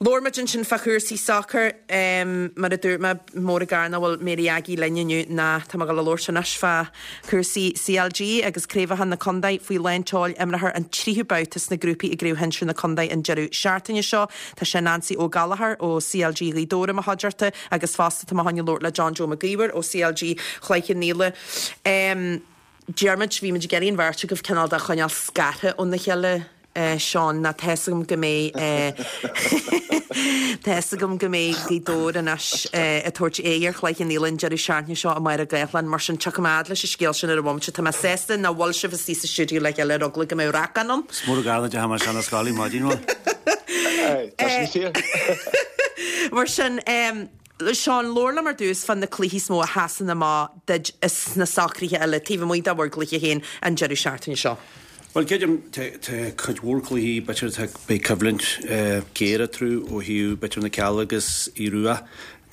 Labhair muid ansin fá chúrsaí sacair. Mar a dúirt mé, mór an gar nach bhfuil Mary Aggie linn inniu ná tá mé ag dul a labhairt anois fá chúrsaí CLG agus craobhacha na contae faoi lán tseoil. Imreofar an tríú babhta sna grúpaí i gCraobh Shinsir na Contae an deireadh seachtaine seo. Tá sé Nancy Ó Gallchóir ó CLG Ghaoth Dobhair i mo chuideachta agus fosta tá mé chun labhairt le John Joe Mac Íomhair ó CLG Chloich Cheann Fhaola. Diarmuid, bhí muid ag iarraidh an bheirt agaibh cineál de choinneáil scartha óna chéile. Seán, ná tá 'fhios agam go mbeidh tá 'fhios agam go mbeidh Gaoth Dobhair anois ag tabhairt aghaidh ar Chloich Cheann Fhaola an deireadh seachtaine seo i Máire Gathlán, mar sin tiocfaidh mé fhad leis an scéal sin ar an bhomaite. Tá mé sásta nach bhfuil sibh istigh sa stiúideo le chéile ar eagla go mbeadh racán ann. Is mór an gar nach ndeachaigh mé isteach na scoile maidin mhaith. Tá sin fíor. Mar sin, Seán, labhair liom ar dtús fá na cluichí is mó a sheasann amach duit sna socruithe eile, taobh amuigh de bhur gcluiche féin an deireadh seachtaine seo. Bhuel, creidim, tá cuid mhór cluichí, b'fhéidir, tá, beidh coimhlint géar eatarthu ó thaobh, b'fhéidir, na Cealla agus Aodh Rua.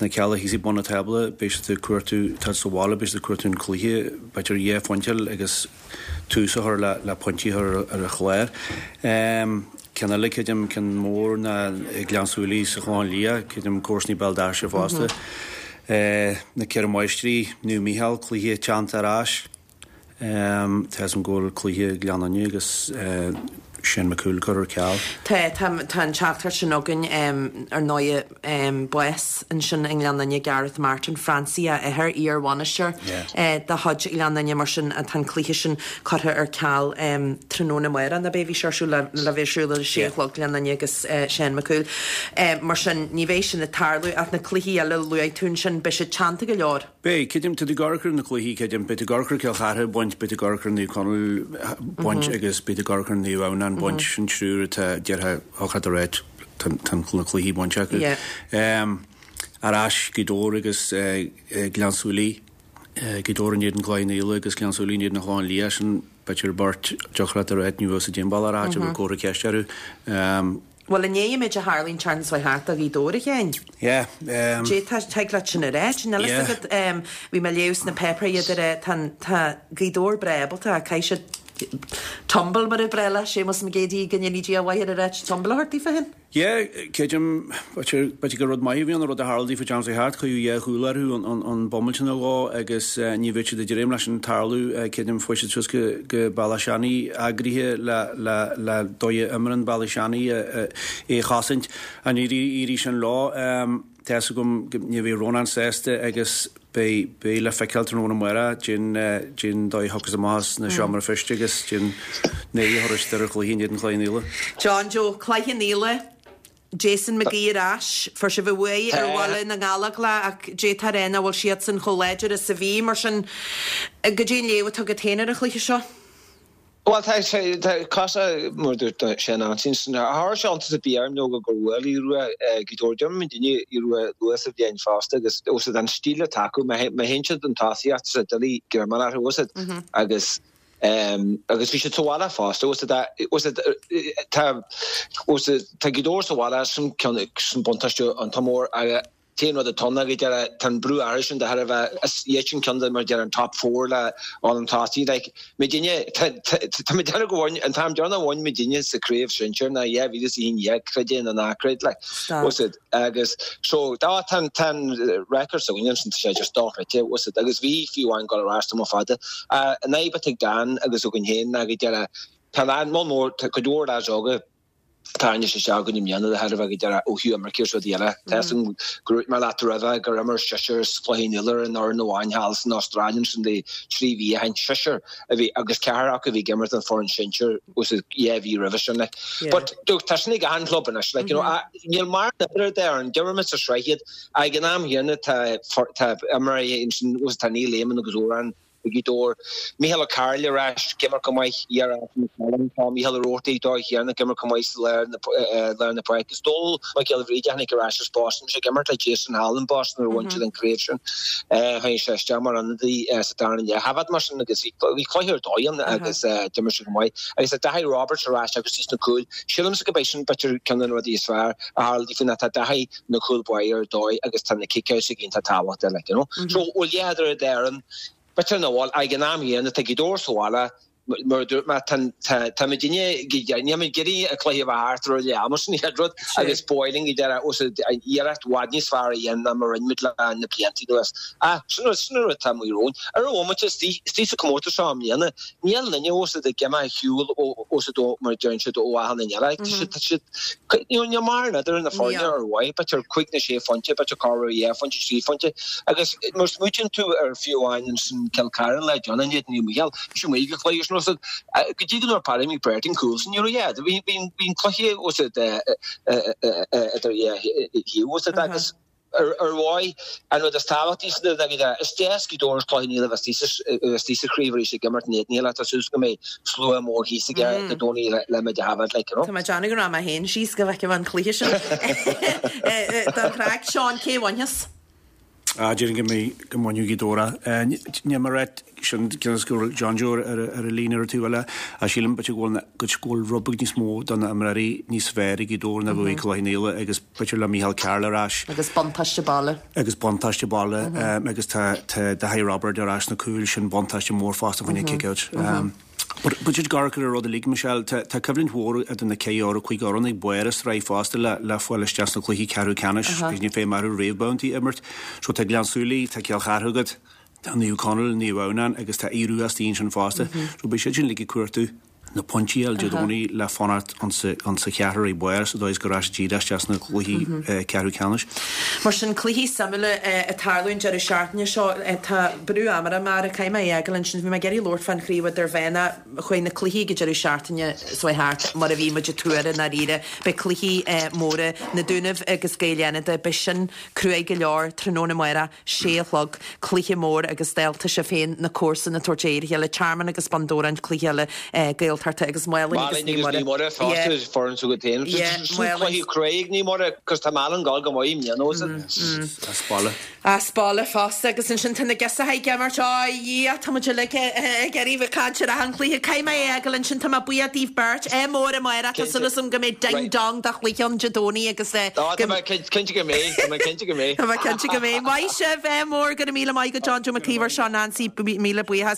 Na Cealla thíos ag bun an tábla, beidh siad ag cuartú, tá sa bhaile, beidh siad ag cuartú an cluiche, b'fhéidir dhá phointe agus tús a chur le pointí a chur ar an chlár. Ceann eile, creidim, ceann mór ná Gleann tSúilí sa Chlochán Liath, creidim comharsanaí Béal Feirste fosta. Na Ceithre Máistrí, Naomh Mícheál, cluiche teannta ar ais. Tá 'fhios a'm go bhfuil cluiche Ghleann Fhinne agus Shane McCool curtha ar ceal. Tá, tá, tá an teachtaireacht sin againn, ar ndóighe, bás ansin i nGleann Fhinne, Gareth Martin, Francie a athair, iar-bhainisteoir de chuid Ghleann Fhinne, mar sin tá an cluiche sin curtha ar ceal tráthnóna amárach, nó beidh, bhí sé ar siúl le, le bheith ar siúl ar a sé a chlog, Gleann Fhinne agus Shane McCool. Mar sin, ní bheidh sin ag tarlú ach na cluichí eile a luaigh tú ansin, beidh siad teannta go leor. Beidh, creidim, tá tú ag amharc ar na cluichí, creidim, beidh tú ag amharc ar Cill Chartha ag baint, beidh tú ag amharc ar Naomh Conaill baint agus beidh tú ag amharc ar Naomh Adhamhnáin baint, sin triúr atá, déarfá, thiocfadh leat a rá, tá na cluichí bainte acu. Ar ais, Gaoth Dobhair agus Gleann tSúilí, Gaoth Dobhair in éadan Chloich Cheann Fhaola agus Gleann tSúilí in éadan an Chlocháin Liath, sin b'fhéidir beirt, thiocfadh leat a rá, ní bheadh siad aon bhealach ar áit a bhfuil comhartha ceiste orthu. Bhuel, i ndiaidh an méid a tharla an tseachtain seo thart do Ghaoth Dobhair, a Sheáin. Yeah. Cad é tig leat sin a ráit, níl a fhios agat. Bhí mé ag léamh sna páipéir iad ag rá, tá, tá Gaoth Dobhair breá ábalta, caithfidh siad tumble mar a breá le Séamus Mac Géidigh go ndéanaí Dia a mhaith air a ráit, tumble a thabhairt daofa féin. Yeah, creidim, b'fhéidir gur rud maith a bhí ann an rud a tharla daofa an tseachtain seo thart, cuireadh dhá chúl orthu an bomaite nó dhó agus ní bheadh siad ag dréim leis sin tarlú, creidim, fuair siad suas go go Bealach Seanaidh eagraithe le le le dóigh a imreann Bealach Seanaidh é a chosaint ach níor éirigh sin leo. Tá fhios agam go ní bheidh Rónán sásta agus beidh beidh le feiceáil tráthnóna amárach cén cén dóigh a thiocfas amach as na seomra feistis agus cén aghaidh a thabharfas ar an chluiche in éadan Chloich Cheann Fhaola. John Joe, Cloich Cheann Fhaola, Jason McGee ar ais. Fuair sibh an bhuaidh ar Bhaile na nGallóglach ach d'fhéadfá a rá nach bhfuil siadsan chomh láidir is a bhí. Mar sin, goidé an léamh atá agat féin ar an chluiche seo? Bhuel, tá sé, tá cosúil, mar a dúirt sé in ansin, chuir sé iontas ar bith orm nó gur bhuail Aodh Rua Gaoth Dobhair. D'imir muidinne Aodh Rua luath sa bhliain fosta agus os an stíl atá acu, má théann siad chun tosaíocht, tá sé doiligh greim a fháil orthu, os agus agus bhí siad sa bhaile fosta, os os tá os tá Gaoth Dobhair sa bhaile sin ceann sin buntáiste iontach mór agus T-aon rud atá ann ná go deireadh, tá an brú orthu sin de thairbhe, is iad sin ceann de mar a deir an top four le dhul chun tosaigh. Like, muidinne, tá, tá, tá mé ag déanamh go bhain, an t-am deireanach a bhain muidinne sa craobh sinsir ná 2011, creid é nó ná creid, like, was it, agus so, tá, tá an, tá an record s'againne ansin, tá sé just dochreidte, was it, agus bhí fiú amháin dul ar ais tamall fada. An fhadhb atá ag Dan agus againn féin ná go deireadh, tá an, moll mór, tá cuid mhór lads óga, tarraingthe isteach againn i mbliana de thairbhe go deireadh ó thaobh imirce is rudaí eile. Tá fhios agam gur dhúirt mé leat roimhe gur imir seisear as Cloich Cheann Fhaola ar an fhoireann amháin thall san Astráil ansin le trí mhí ó shin. Seisear a bhí agus ceathrar acu a bhí ag imirt don foireann sinsir os a 2 mhí roimhe sin like. But look tá sin ag achan club anois like you know níl mar an oiread de ar an d'imir muid sa sraith iad ag an am chéanna tá tá imreoirí ansin tá Neil Eamon agus Odhrán Ag Gaoth Dobhair. Mícheál Ó Cearúil ar ais, ag imirt go maith, ar ais na Cailíní. Tá Mícheál Ó Roarty dóigh chéanna ag imirt go maith sa lár lár na páirce. Is Dónal Mac Giolla Bhríde a tháinig ar ais as Boston. Bhí sé ag imirt le Jason thall in Boston nuair a bhain siad an craobh sin. Tháinig sé isteach mar ionadaí sa darna leath. Thaifead mar sin agus bhí cluiche ar dóigh ann agus d'imir sé go maith. Agus tá Daithí Roberts ar ais agus sna cúil. Sílimse go beidh sin b'fhéidir ceann de na rudaí is fearr a tharla daofa ná tá Daithí ina chúl báire ar dóigh agus tá na kick-outs ag iontach tábhachtach like, you know. So bhfuil dheathair ar an b'fhéidir nach bhfuil ag an am chéanna tá Gaoth Dobhair sa bhaile. Mar a dúirt mé, tá muidinne, níl muid ag iarraidh an cluiche a bheith thart roimh leath ama, sin an chéad rud, agus ba mhaith linn go deireadh an iarracht i bhfad níos fearr a dhéanamh ná mar a rinne muid le na blianta anuas. Ach sin an rud atá amuigh romhainn. Ar an bhomaite, istigh sa chomórtas seo i mbliana, níl duine os ag imeacht ar shiúl os a dó mar a deireann siad ó achan duine eile. Tá siad, níl mórán idir na foirne ar mhaith, b'fhéidir cúig nó sé phointe, b'fhéidir corruair dhá phointe, trí phointe. Agus má smaoitíonn tú ar fiú amháin ansin Cill Chartha le John in éadan Naomh Mícheál, bhí sé amuigh ag an chluiche sin os go dtí go ndúirt Paddy McBrearty an cúl sin, ní raibh, bhí an cluiche os idir dhá thaobh os agus Ar mhaith, an rud is tábhachtaí san ná go is deas Gaoth Dobhair is Cloich Cheann Fhaola a bheith istigh sa chraobh arís ag imirt in éadan a chéile. Tá súil go mbeidh slua mór thíos aige Dé Domhnaigh le muid a shábháilt like, you know. Tá mé ag déanamh go raibh mé féin síos go bhfeicfidh mé an cluiche sin. Don chraic, Seán, cé a bhainfeas? Ah, déarfainn go mbeidh, go mbainfidh Gaoth Dobhair é. Níl mé ag rá sin cionn is go bhfuil John Joe ar an líne ar an taobh eile, ach sílim b'fhéidir go bhfuil, go bhfuil rud beag níos mó do na imreoirí níos fearr ag Gaoth Dobhair ná a bhí ag Cloich Cheann Fhaola agus b'fhéidir le Micheál Carroll ar ais. Agus buntáiste baile. Agus buntáiste baile agus tá tá Daithí Roibeard ar ais sna cúil, sin buntáiste mór fosta fá choinne kick-out. But b'fhéidir gur ar an rud uilig, Michelle, tá tá coimhlint mhór idir na ceithre fhoireann cúig fhoireann ag barr an tsraith fosta le le fáil isteach sna cluichí ceathrú ceannais agus ní féidir orthu réamhbhabhtaí a imirt. So tá Gleann tSúilí, tá Cill Chartha agat, tá Naomh Conaill, Naomh Adhamhnáin agus tá Aodh Rua istigh ansin fosta. So beidh siad sin uilig ag cuartú na pointí a fháil Dé Domhnaigh le fanacht insa cheathrar ag barr sa dóigh is go rachaidh siad díreach isteach sna cluichí ceathrú ceannais. Mar sin, cluichí suimiúla ag tarlú an deireadh seachtaine seo. Tá brú ama orm, Máire, caithfidh mé é a fhágáil ansin. Bhí mé ag iarraidh labhairt fán chraobh idirmheánach. Chuaigh na cluichí ag an deireadh seachtaine seo thart mar a bhí muid ag tuar i ndáiríre. Beidh cluichí móra, Na Dúnaibh agus Gaeil Fhánada, beidh sin cruaidh go leor tráthnóna amárach. sé a chlog, cluiche mór agus dálta sibh féin, na comharsana ag tabhairt aghaidh ar a chéile, Tearmann agus Bun Dobhráin, cluiche eile Gaeltachta agus Málainn agus Naomh Muire. Naomh Muire fosta is foireann s'agat féin. Sin cluiche cruaidh ag Naomh Muire cos tá Málainn ag dul go maith i mbliana os As baile. As baile fosta agus ansin tá na girseacha ag imirt, á Dhia, tá muid uilig ag iarraidh bheith ag caint ar achan chluiche. Caithfidh mé é a fhágáil ansin, tá mé buíoch daoibh beirt. Ádh mór amárach, tá súil agam go mbeidh ding dong de chluiche ann Dé Domhnaigh agus go Tá mé cinnte go mbeidh, tá mé cinnte go mbeidh. Tá mé cinnte go mbeidh. Maith sibh, ádh mór, go raibh míle maith agat John Joe Mac Íomhair, Seán Ansaí, míle buíochas.